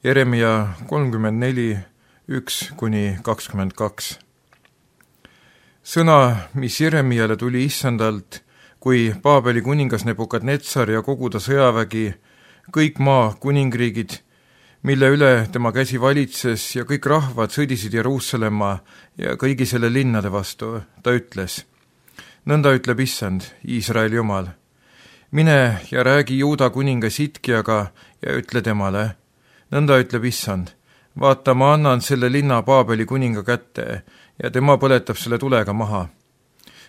Jeremia 34:1-22. Sõna, mis Jeremiale tuli issandalt, kui Paabeli kuningas Nebukadnetsar ja kogu ta sõjavägi, kõik maa kuningriigid, mille üle tema käsi valitses ja kõik rahvad sõdisid Jeruusalemma ja kõigi selle linnade vastu, ta ütles: nõnda ütleb issand, Iisraeli Jumal. Mine ja räägi Juuda kuninga Sitkiaga ja ütle temale: nõnda ütleb issand, vaata, ma annan selle linna Paabeli kuninga kätte ja tema põletab selle tulega maha.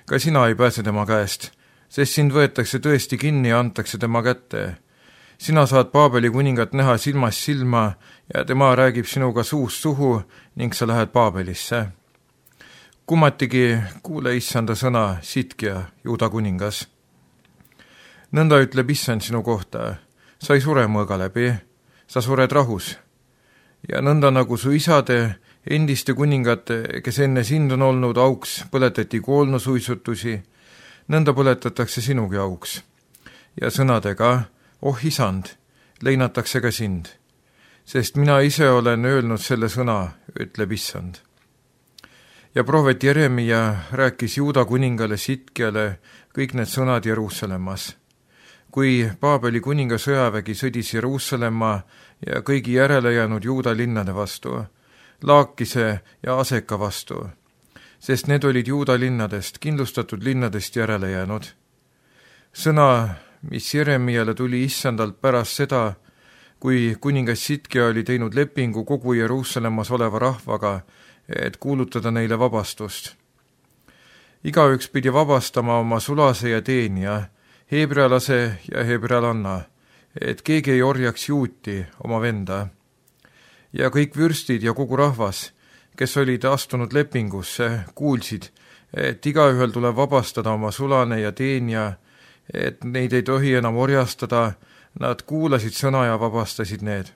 Ka sina ei pääse tema käest, sest sind võetakse tõesti kinni ja antakse tema kätte. Sina saad Paabeli kuningat näha silmast silma ja tema räägib sinuga suust suhu ning sa lähed Paabelisse. Kummatigi kuule issanda sõna, Sitkia, Juuda kuningas. Nõnda ütleb issand sinu kohta, sa ei sure mõõga läbi, sa sured rahus. Ja nõnda nagu su isade, endiste kuningate, kes enne sind on olnud auks, põletati koolnusuitsutusi, nõnda põletatakse sinugi auks. Ja sõnadega, oh isand, leinatakse ka sind, sest mina ise olen öelnud selle sõna, ütleb issand. Ja prohvet Jeremia rääkis Juuda kuningale Sitkiale kõik need sõnad Jeruusalemmas. Kui Paabeli kuninga sõjavägi sõdis Jeruusalemma ja kõigi järele jäänud Juuda linnade vastu, Laakise ja Aseka vastu, sest need olid Juuda linnadest, kindlustatud linnadest järele jäänud. Sõna, mis Jeremiale tuli issandalt pärast seda, kui kuningas Sitkia oli teinud lepingu kogu Jeruusalemmas oleva rahvaga, et kuulutada neile vabastust. Igaüks pidi vabastama oma sulase ja teenija, heebrealase ja heebrealanna, et keegi ei orjaks juuti oma venda. Ja kõik vürstid ja kogu rahvas, kes olid astunud lepingusse, kuulsid, et igaühel tuleb vabastada oma sulane ja teenija, et neid ei tohi enam orjastada, nad kuulasid sõna ja vabastasid need.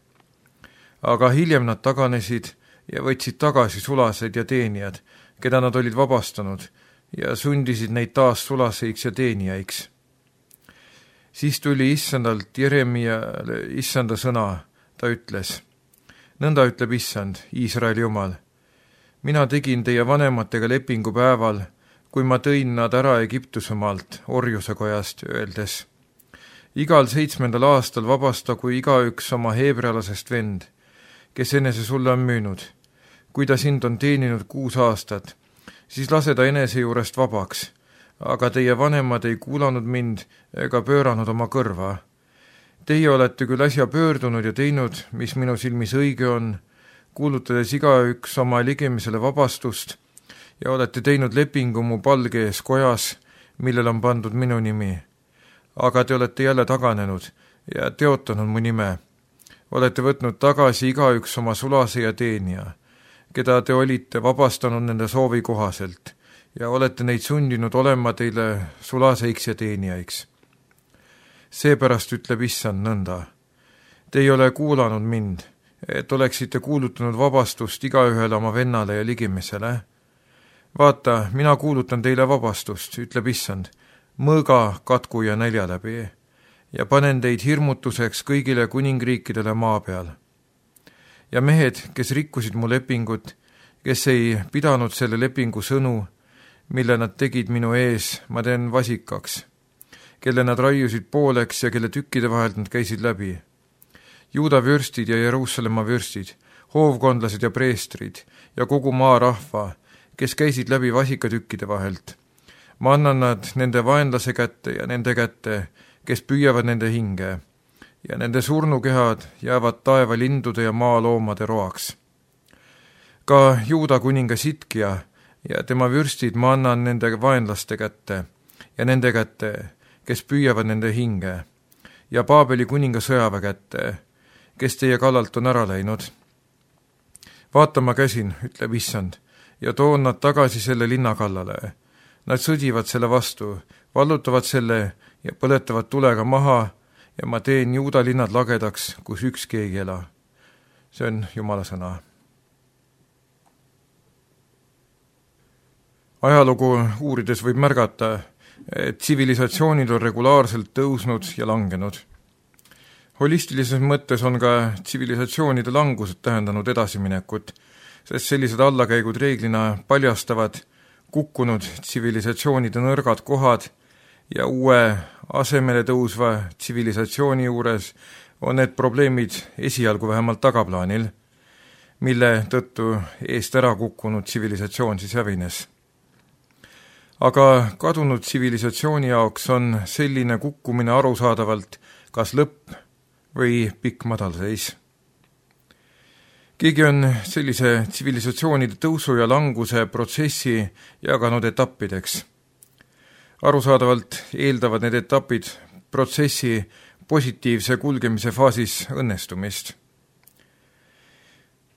Aga hiljem nad taganesid ja võtsid tagasi sulased ja teenijad, keda nad olid vabastanud, ja sundisid neid taas sulaseiks ja teenijaiks. Siis tuli issandalt Jeremiale issanda sõna, ta ütles: nõnda ütleb issand, Iisraeli Jumal. Mina tegin teie vanematega lepingu päeval, kui ma tõin nad ära Egiptusemaalt, orjusekojast, öeldes: igal 7. aastal vabastagu igaüks oma heebrealasest vend, kes enese sulle on müünud. Kui ta sind on teeninud 6 aastat, siis lase ta enese juurest vabaks, aga teie vanemad ei kuulanud mind ega pööranud oma kõrva. Teie olete küll äsja pöördunud ja teinud, mis minu silmis õige on, kuulutades igaüks oma ligimisele vabastust, ja olete teinud lepingu mu palge ees kojas, millel on pandud minu nimi. Aga te olete jälle taganenud ja teotanud mu nime. Olete võtnud tagasi igaüks oma sulase ja teenija, keda te olite vabastanud nende soovi kohaselt, ja olete neid sundinud olema teile sulaseiks ja teenijaiks. Seepärast ütleb issand nõnda: te ei ole kuulanud mind, et oleksite kuulutanud vabastust igaühele oma vennale ja ligimisele. Vaata, mina kuulutan teile vabastust, ütleb issand, mõõga, katku ja nälja läbi, ja panen teid hirmutuseks kõigile kuningriikidele maa peal. Ja mehed, kes rikkusid mu lepingut, kes ei pidanud selle lepingu sõnu, mille nad tegid minu ees, ma teen vasikaks, kelle nad raiusid pooleks ja kelle tükkide vahelt nad käisid läbi. Juuda vürstid ja Jeruusalemma vürstid, hoovkondlased ja preestrid ja kogu maa rahva, kes käisid läbi vasikatükkide vahelt. Ma annan nad nende vaenlase kätte ja nende kätte, kes püüavad nende hinge, ja nende surnukehad jäävad taeva lindude ja maaloomade roaks. Ka Juuda kuninga Sitkia ja tema vürstid ma annan nende vaenlaste kätte ja nende kätte, kes püüavad nende hinge, ja Paabeli kuninga sõjaväe kätte, kes teie kallalt on ära läinud. Vaata, ma käsin, ütleb issand, ja toon nad tagasi selle linna kallale. Nad sõdivad selle vastu, vallutavad selle ja põletavad tulega maha, ja ma teen Juuda linnad lagedaks, kus ükski ei ela. See on Jumala sõna. Ajalugu uurides võib märgata, et tsivilisatsioonid on regulaarselt tõusnud ja langenud. Holistilises mõttes on ka tsivilisatsioonide langused tähendanud edasiminekut, sest sellised allakäigud reeglina paljastavad kukkunud tsivilisatsioonide nõrgad kohad ja uue asemele tõusva tsivilisatsiooni juures on need probleemid esialgu vähemalt tagaplaanil, mille tõttu eest ära kukkunud tsivilisatsioon siis hävines. Aga kadunud tsivilisatsiooni jaoks on selline kukkumine arusaadavalt kas lõpp või pikk madalseis. Keegi on sellise tsivilisatsioonide tõusu ja languse protsessi jaganud etappideks. Arusaadavalt eeldavad need etapid protsessi positiivse kulgemise faasis õnnestumist.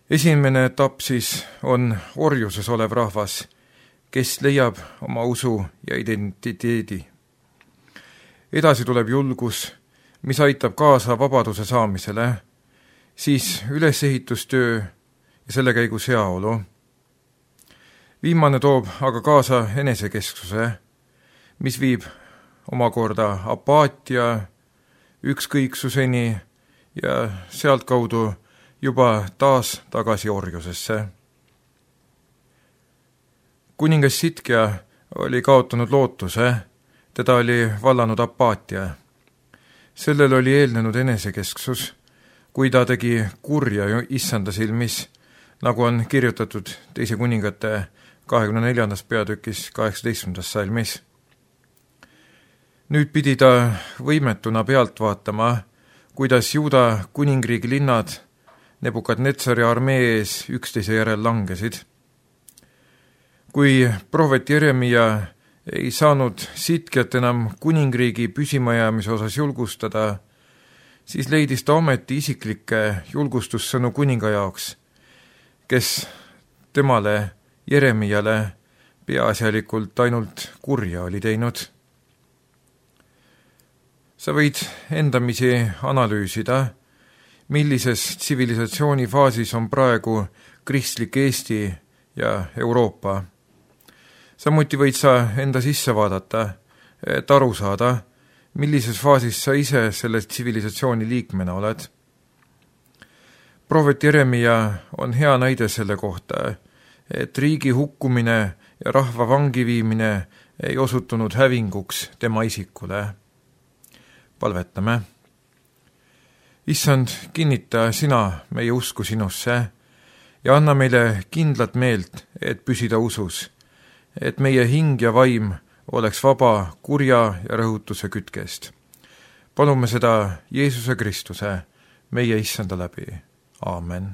Esimene etapp siis on orjuses olev rahvas, kes leiab oma usu ja identiteedi. Edasi tuleb julgus, mis aitab kaasa vabaduse saamisele, siis ülesehitustöö ja selle käigus heaolu. Viimane toob aga kaasa enesekesksuse, mis viib omakorda apaatia, ükskõiksuseni ja sealtkaudu juba taas tagasi orjusesse. Kuningas Sitkja oli kaotanud lootuse, teda oli vallanud apaatia. Sellel oli eelnenud enesekesksus, kui ta tegi kurja issanda silmis, nagu on kirjutatud teise kuningate 24. peatükis 18. salmis. Nüüd pidi ta võimetuna pealt vaatama, kuidas Juuda kuningriigi linnad Nebukadnetsari armee ees üksteise järel langesid. Kui prohvet Jeremia ei saanud Sitkjat enam kuningriigi püsimajäämise osas julgustada, siis leidis ta ometi isiklikke julgustussõnu kuninga jaoks, kes temale, Jeremiale, peaasjalikult ainult kurja oli teinud. Sa võid endamisi analüüsida, millises tsivilisatsiooni faasis on praegu kristlik Eesti ja Euroopa. Samuti võid sa enda sisse vaadata, et aru saada, millises faasis sa ise selle tsivilisatsiooni liikmena oled. Prohvet Jeremia on hea näide selle kohta, et riigi hukkumine ja rahva vangi viimine ei osutunud hävinguks tema isikule. Palvetame. Issand, kinnita sina meie usku sinusse ja anna meile kindlat meelt, et püsida usus, et meie hing ja vaim oleks vaba kurja ja rõhutuse kütkest. Palume seda Jeesuse Kristuse, meie issanda läbi. Aamen.